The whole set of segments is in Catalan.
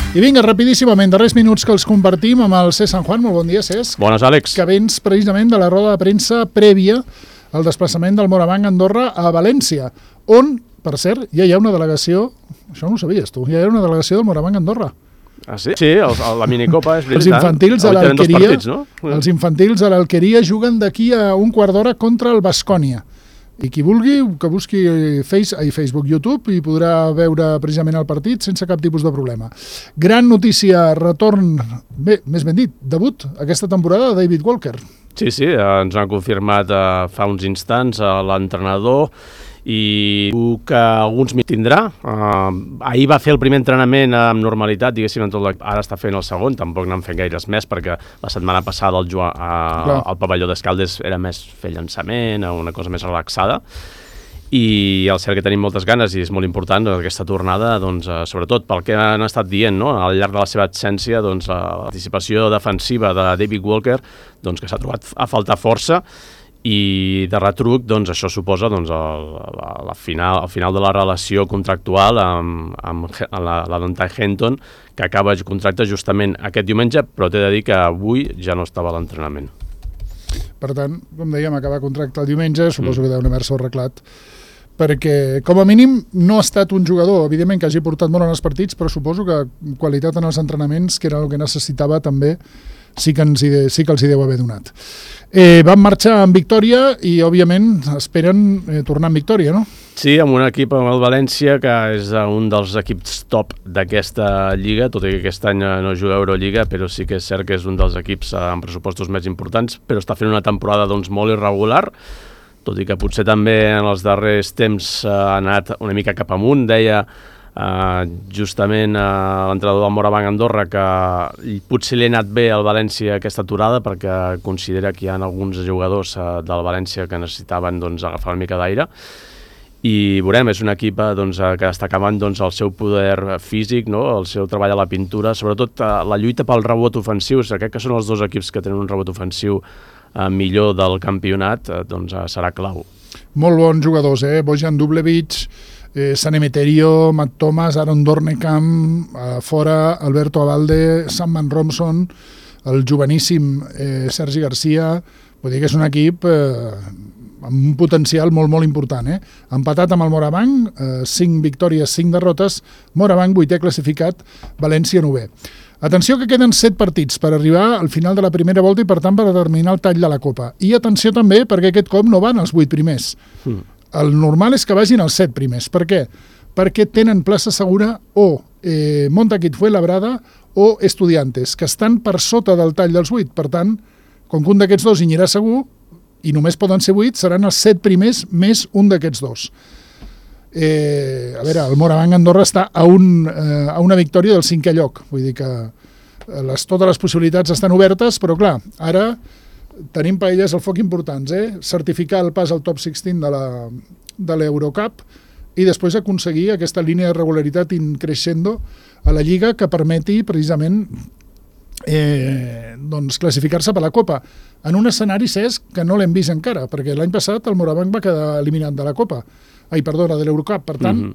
I vinga, rapidíssimament, darrers minuts que els compartim amb el Cesc Sant Juan. Molt bon dia, Cesc. Bones, Àlex. Que vens precisament de la roda de premsa prèvia al desplaçament del Moravang Andorra a València, on, per cert, ja hi ha una delegació, això no ho sabies tu, ja hi ha una delegació del Moravang Andorra. Ah, sí? Sí, la minicopa és veritat. Els infantils a l'Alqueria, no? Els infantils a l'Alqueria juguen d'aquí a un quart d'hora contra el Baskonia. I qui vulgui, que busqui Facebook, YouTube, i podrà veure precisament el partit sense cap tipus de problema. Gran notícia, retorn, bé, més ben dit, debut aquesta temporada de David Walker. Sí, ens han confirmat fa uns instants l'entrenador i que alguns m'hi tindrà. Ahir va fer el primer entrenament amb normalitat, diguéssim, ara està fent el segon, tampoc n'han fet gaires més, perquè la setmana passada al pavelló d'Escaldes era més fer llançament, una cosa més relaxada, i el cert que tenim moltes ganes i és molt important aquesta tornada, sobretot pel que han estat dient, no? Al llarg de la seva absència, la participació defensiva de David Walker, que s'ha trobat a faltar força, i de retruc això suposa el final de la relació contractual amb la Dante Henton, que acaba el contracte justament aquest diumenge, però t'he de dir que avui ja no estava a l'entrenament. Per tant, com dèiem, acaba contracte el diumenge, suposo que deuen haver-se arreglat, perquè com a mínim no ha estat un jugador, evidentment que hagi portat molt en els partits, però suposo que qualitat en els entrenaments, que era el que necessitava també, sí que els hi deu haver donat. Van marxar amb victòria i, òbviament, esperen tornar amb victòria, no? Sí, amb un equip, amb el València, que és un dels equips top d'aquesta lliga, tot i que aquest any no juga a Eurolliga, però sí que és cert que és un dels equips amb pressupostos més importants, però està fent una temporada molt irregular, tot i que potser també en els darrers temps ha anat una mica cap amunt. Deia justament l'entrenador del Moravang Andorra que potser li ha anat bé al València aquesta aturada, perquè considera que hi ha alguns jugadors del València que necessitaven agafar una mica d'aire, i veurem, és un equip que està acabant el seu poder físic, no? El seu treball a la pintura, sobretot la lluita pel rebot ofensiu. Crec que són els dos equips que tenen un rebot ofensiu millor del campionat, serà clau. Molt bons jugadors, Bojan Dublevic, San Emeterio, Matt Thomas, Aaron Dornekam, fora Alberto Abalde, Sam Romson, el joveníssim Sergi Garcia. Vull dir que és un equip amb un potencial molt, molt important. Empatat amb el Moravang, 5 victòries, 5 derrotes, Moravang 8è classificat, València 9è. Atenció que queden 7 partits per arribar al final de la primera volta i, per tant, per determinar el tall de la Copa. I atenció també perquè aquest cop no van els 8 primers. El normal és que vagin els 7 primers. Per què? Perquè tenen plaça segura o Montaquit Fuenlabrada o Estudiantes, que estan per sota del tall dels 8. Per tant, com que un d'aquests dos hi anirà segur, i només poden ser 8, seran els 7 primers més un d'aquests dos. A veure, el Moravang Andorra està a una victòria del 5è lloc. Vull dir que totes les possibilitats estan obertes, però clar, ara tenim paelles al foc importants, certificar el pas al top 16 de l'Eurocup i després aconseguir aquesta línia de regularitat increixendo a la Lliga que permeti precisament classificar-se per la Copa en un escenari, Cesc, que no l'hem vist encara, perquè l'any passat el Moravang va quedar eliminat de la Copa, de l'Eurocup, per tant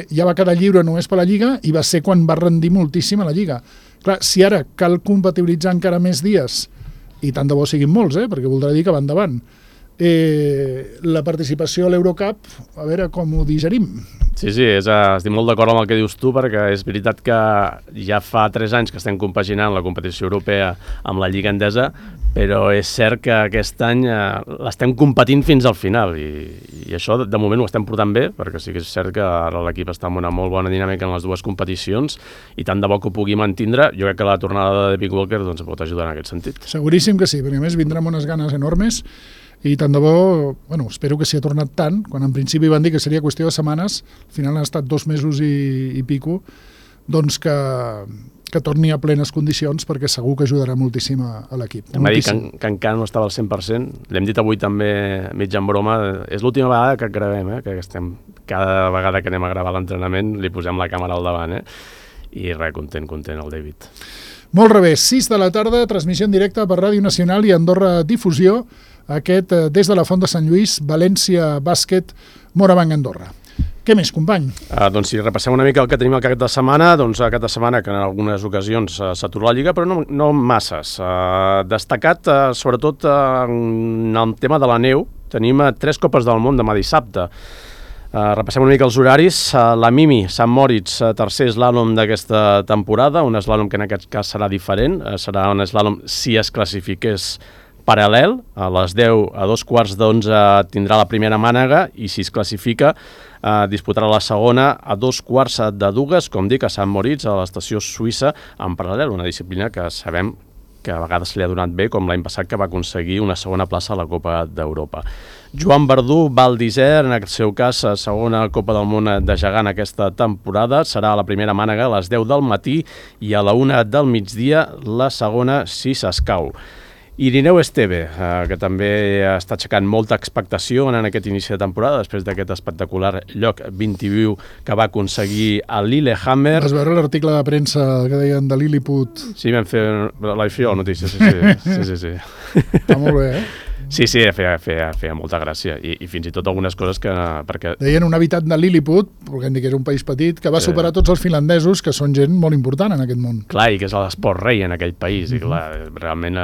ja va quedar lliure només per la Lliga i va ser quan va rendir moltíssim a la Lliga. Clar, si ara cal compatibilitzar encara més dies, i tant de bo siguin molts, perquè voldrà dir que va endavant, la participació a l'Eurocup, a veure com ho digerim. Sí, estic molt d'acord amb el que dius tu, perquè és veritat que ja fa 3 anys que estem compaginant la competició europea amb la Lliga Endesa, però és cert que aquest any l'estem competint fins al final i això de moment ho estem portant bé, perquè sí que és cert que ara l'equip està amb una molt bona dinàmica en les dues competicions i tant de bo que ho pugui mantindre. Jo crec que la tornada de David Walker pot ajudar en aquest sentit. Seguríssim que sí, perquè a més vindrà amb unes ganes enormes i tant de bo, espero que s'hi ha tornat tant, quan en principi van dir que seria qüestió de setmanes, al final han estat 2 mesos i pico, doncs que torni a plenes condicions, perquè segur que ajudarà moltíssim a l'equip. M'ha dit que encara no estava al 100%, l'hem dit avui també mig en broma, és l'última vegada que gravem, que estem, cada vegada que anem a gravar l'entrenament li posem la càmera al davant, i res, content el David. Molt revés, 6 de la tarda, transmissió en directe per Ràdio Nacional i Andorra Difusió, aquest des de la Font de Sant Lluís, València Bàsquet, Moravang Andorra. Què més, company? Doncs si repassem una mica el que tenim al cap de setmana, doncs aquest de setmana que en algunes ocasions s'atura la Lliga, però no masses. Destacat, sobretot, en el tema de la neu, tenim 3 Copes del Món demà dissabte. Repassem una mica els horaris. La Mimi, Sant Moritz, tercer eslàlom d'aquesta temporada, un eslàlom que en aquest cas serà diferent, serà un eslàlom si es classifiqués paral·lel, a les 10, a 11:15 tindrà la primera mànega i si es classifica disputarà la segona a 2:15, com dic, a Sant Moritz, a l'estació suïssa, en paral·lel, una disciplina que sabem que a vegades se li ha donat bé, com l'any passat que va aconseguir una segona plaça a la Copa d'Europa. Joan Verdú, Val d'Isère, en el seu cas, segona Copa del Món de gegant aquesta temporada, serà a la primera mànega a les 10 del matí i a la 1 del migdia la segona si s'escau. Irineu Esteve, que també està aixecant molta expectació en aquest inici de temporada, després d'aquest espectacular lloc 21 que va aconseguir a Lillehammer. Vas veure l'article de premsa que deien de Lilliput? Sí, vam fer la notícia, sí. Està molt bé, eh? Sí, feia molta gràcia i fins i tot algunes coses que... Perquè... Deien un habitant de Lilliput, volguem dir que és un país petit, que va superar tots els finlandesos, que són gent molt important en aquest món. Clar, i que és l'esport rei en aquell país, i clar, realment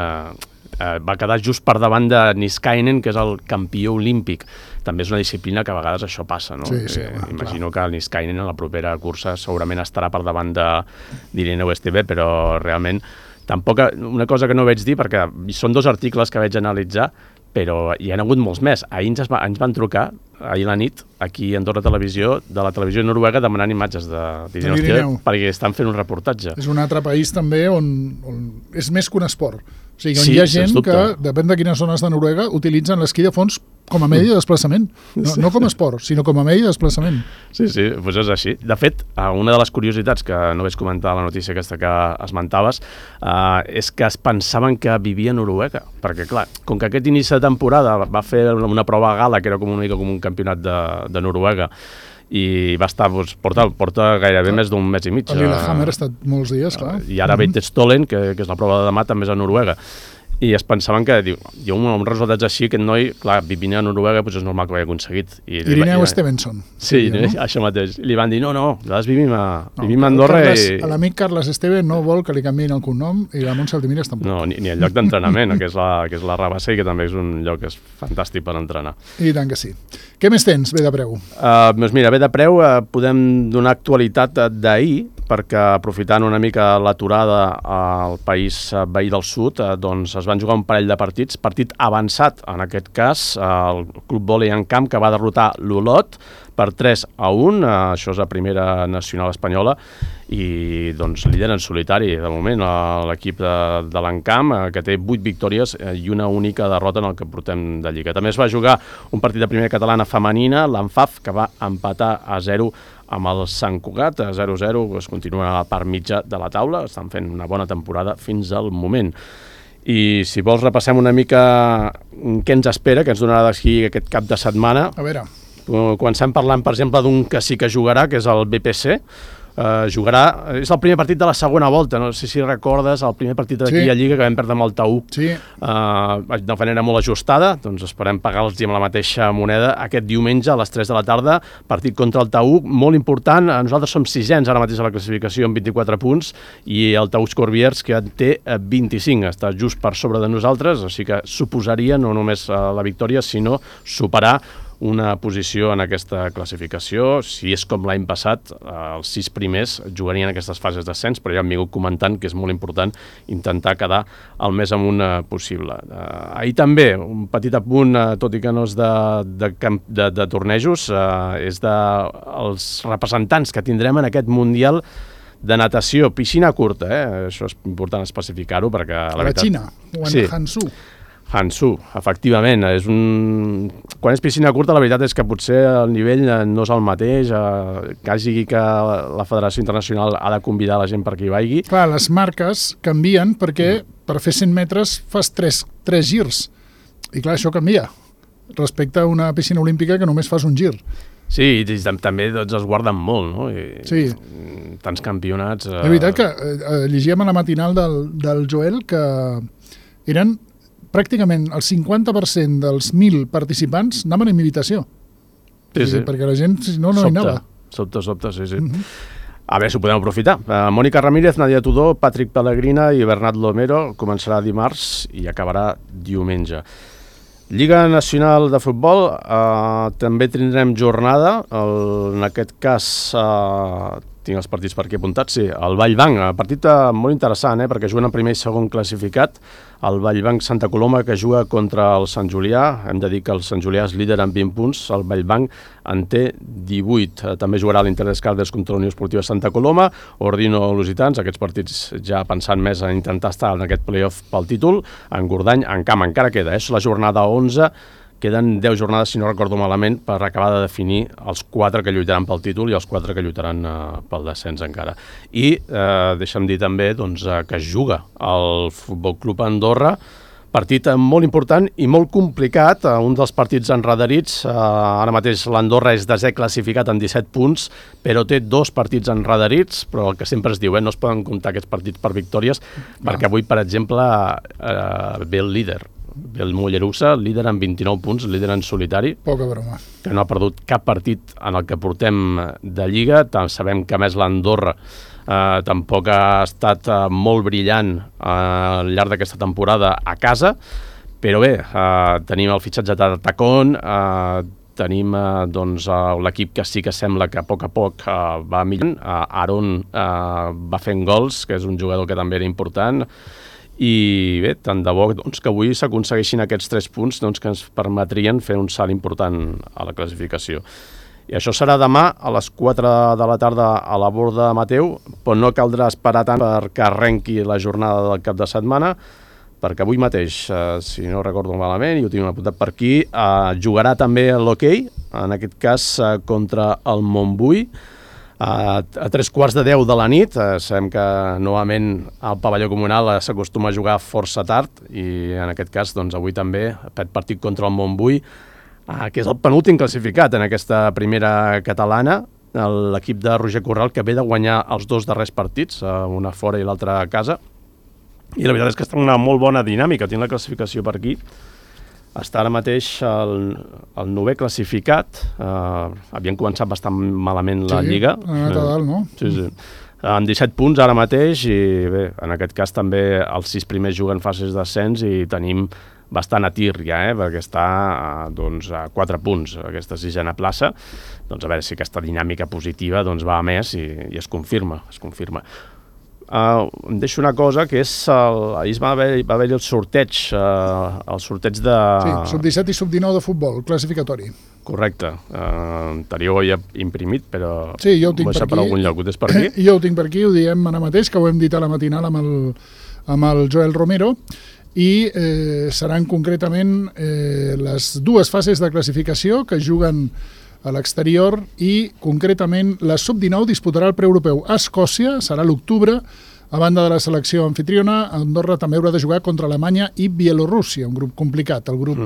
va quedar just per davant de Niskanen, que és el campió olímpic. També és una disciplina que a vegades això passa, no? Sí, imagino que el Niskanen en la propera cursa segurament estarà per davant d'Irineu Esteve, però realment tampoc, una cosa que no vaig dir, perquè són 2 articles que vaig analitzar, però hi ha hagut molts més. Ahir ens van trucar, ahir a la nit, aquí a Andorra Televisió, de la televisió noruega, demanant imatges d'Irineu Esteve, perquè estan fent un reportatge. És un altre país també on és més que un esport. O sigui, on hi ha gent que, depèn de quines zones de Noruega, utilitzen l'esquí de fons com a medi de desplaçament. No com a esport, sinó com a medi de desplaçament. Sí, doncs és així. De fet, una de les curiositats que no vaig comentar a la notícia aquesta que esmentaves és que es pensaven que vivia a Noruega, perquè clar, com que aquest inici de temporada va fer una prova a gala, que era com una mica com un campionat de Noruega, i va estar, porta gairebé més d'un mes i mig. A Lillehammer ha estat molts dies, clar. I ara Veitstolen, que és la prova de demà, també és a Noruega. I es pensaven que, diu, un resultat així, aquest noi, clar, vivint a Noruega, doncs és normal que ho hagi aconseguit. Irineu Stevenson. Sí, això mateix. Li van dir, no, nosaltres vivim a Andorra i... L'amic Carles Esteve no vol que li canviïn el cognom i la Montse Altimires tampoc. No, ni el lloc d'entrenament, que és la Rabassa, i que també és un lloc que és fantàstic per entrenar. I tant que sí. Què més tens, Bé de Preu? Doncs mira, Bé de Preu podem donar actualitat d'ahir, perquè aprofitant una mica l'aturada al país veí del sud, doncs es van jugar un parell de partits, partit avançat en aquest cas, el Club Vòlei en Camp, que va derrotar l'Olot per 3-1, això és la primera nacional espanyola, i doncs líder en solitari de moment l'equip de l'Encamp, que té 8 victòries i una única derrota en el que portem de Lliga. També es va jugar un partit de primera catalana femenina, l'Anfaf, que va empatar a 0 amb el Sant Cugat, 0-0, es continua a la part mitja de la taula, estan fent una bona temporada fins al moment. I si vols repassem una mica què ens espera, que ens donarà d'aquí aquest cap de setmana. A veure. Comencem parlant, per exemple, d'un que sí que jugarà, que és el BPC. Jugarà, és el primer partit de la segona volta, no sé si recordes el primer partit d'aquí a Lliga que vam perdre amb el Taüc de manera molt ajustada, doncs esperem pagar-los amb la mateixa moneda aquest diumenge a les 3 de la tarda, partit contra el Taüc, molt important, nosaltres som 600 ara mateix a la classificació amb 24 punts i el Taüc Corbières que té 25, està just per sobre de nosaltres, o sigui que suposaria no només la victòria sinó superar una posició en aquesta classificació. Si és com l'any passat, els 6 primers jugarien aquestes fases d'ascens, però ja hem vingut comentant que és molt important intentar quedar el més amunt possible. Ahir també, un petit apunt, tot i que no és de tornejos, és dels representants que tindrem en aquest Mundial de natació, piscina curta, això és important especificar-ho perquè... A la Xina, o en Hansu. Hansu, efectivament. Quan és piscina curta, la veritat és que potser el nivell no és el mateix, quasi que la Federació Internacional ha de convidar la gent perquè hi vagi. Clar, les marques canvien perquè per fer 100 metres fas 3 girs. I clar, això canvia respecte a una piscina olímpica que només fas un gir. Sí, i també doncs, es guarden molt, no? Sí. Tants campionats... La veritat que llegíem a la matinal del Joel que eren pràcticament el 50% dels 1.000 participants anaven en invitació. Sí. Perquè la gent, si no, no hi anava. Sobte, sí. A veure si ho podem aprofitar. Mònica Ramírez, Nadia Tudó, Patrick Pellegrina i Bernat Lomero començarà dimarts i acabarà diumenge. Lliga Nacional de Futbol, també tindrem jornada, en aquest cas tinc els partits per aquí apuntats, sí, el Vallbanc, partit molt interessant, perquè juguen en primer i segon classificat, el Vallbanc Santa Coloma que juga contra el Sant Julià, hem de dir que el Sant Julià és líder amb 20 punts, el Vallbanc en té 18, també jugarà l'Inter d'Escaldes contra la Unió Esportiva Santa Coloma, Ordino-Lusitans, aquests partits ja pensant més en intentar estar en aquest play-off pel títol, en Gordany, en camp encara queda, és la jornada 11, queden 10 jornades, si no recordo malament, per acabar de definir els 4 que lluitaran pel títol i els 4 que lluitaran pel descens encara. I deixa'm dir també que es juga al Futbol Club Andorra, partit molt important i molt complicat, un dels partits enredarits, ara mateix l'Andorra és desè classificat amb 17 punts, però té 2 partits enredarits, però el que sempre es diu, no es poden comptar aquests partits per victòries, perquè avui, per exemple, ve el líder, el Mollerussa, líder amb 29 punts, líder en solitari. Poca broma. Que no ha perdut cap partit en el que portem de Lliga. Sabem que, a més, l'Andorra tampoc ha estat molt brillant al llarg d'aquesta temporada a casa, però bé, tenim el fitxatge de Tacón, tenim l'equip que sí que sembla que a poc va millorant. Aaron va fent gols, que és un jugador que també era important, i bé, tant de bo que avui s'aconsegueixin aquests 3 punts que ens permetrien fer un salt important a la classificació. I això serà demà a les 4 de la tarda a la Borda de Mateu, però no caldrà esperar tant perquè arrenqui la jornada del cap de setmana, perquè avui mateix, si no recordo malament, i ho tinc apuntat per aquí, jugarà també l'hoquei, en aquest cas contra el Montbui, a 3:15 de la nit. Sabem que novament al pavelló comunal s'acostuma a jugar força tard i en aquest cas avui també aquest partit contra el Montbui, que és el penúltim classificat en aquesta primera catalana, l'equip de Roger Corral, que ve de guanyar els 2 darrers partits, una fora i l'altra a casa, i la veritat és que està en una molt bona dinàmica. Tinc la classificació per aquí. Està ara mateix el 9è classificat, havien començat bastant malament la Lliga. Sí, ha anat a dalt, no? Sí. Amb 17 punts ara mateix i bé, en aquest cas també els 6 primers juguen fases d'ascens i tenim bastant a tir ja, perquè està a 4 punts aquesta 6a plaça. A veure si aquesta dinàmica positiva va a més i es confirma. Em deixo una cosa, que és ahir va haver-hi el sorteig de... Sí, sub-17 i sub-19 de futbol, classificatori. Correcte. Anterior ho he imprimit, però sí, jo ho tinc per aquí. Per algun lloc. Ho tens per aquí? Jo ho tinc per aquí, ho diem ara mateix, que ho hem dit a la matinal amb el Joel Romero, i seran concretament les 2 fases de classificació que juguen a l'exterior i concretament la sub-19 disputarà el preeuropeu a Escòcia, serà l'octubre, a banda de la selecció anfitriona. Andorra també haurà de jugar contra Alemanya i Bielorússia, un grup complicat. El grup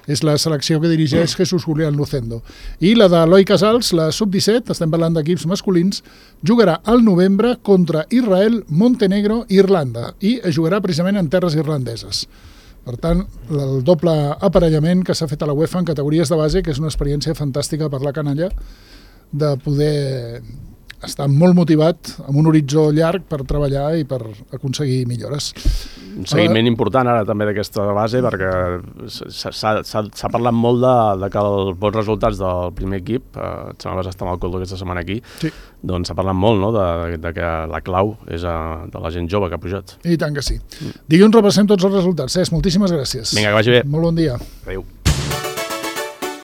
és la selecció que dirigeix Jesús Julián Lucendo. I la d'Eloi Casals, la sub-17, estem parlant d'equips masculins, jugarà al novembre contra Israel, Montenegro i Irlanda, i jugarà precisament en terres irlandeses. Per tant, el doble aparellament que s'ha fet a la UEFA en categories de base, que és una experiència fantàstica per la canalla, de poder estar molt motivat, amb un horitzó llarg per treballar i per aconseguir millores. Un seguiment important ara també d'aquesta base, perquè s'ha parlat molt de que els bons resultats del primer equip, et sembla que està amb el Coldo aquesta setmana aquí, sí. Doncs s'ha parlat molt de que la clau és de la gent jove que ha pujat. I tant que sí. Dilluns repassem tots els resultats. Cesc, moltíssimes gràcies. Vinga, que vagi bé. Molt bon dia. Adéu.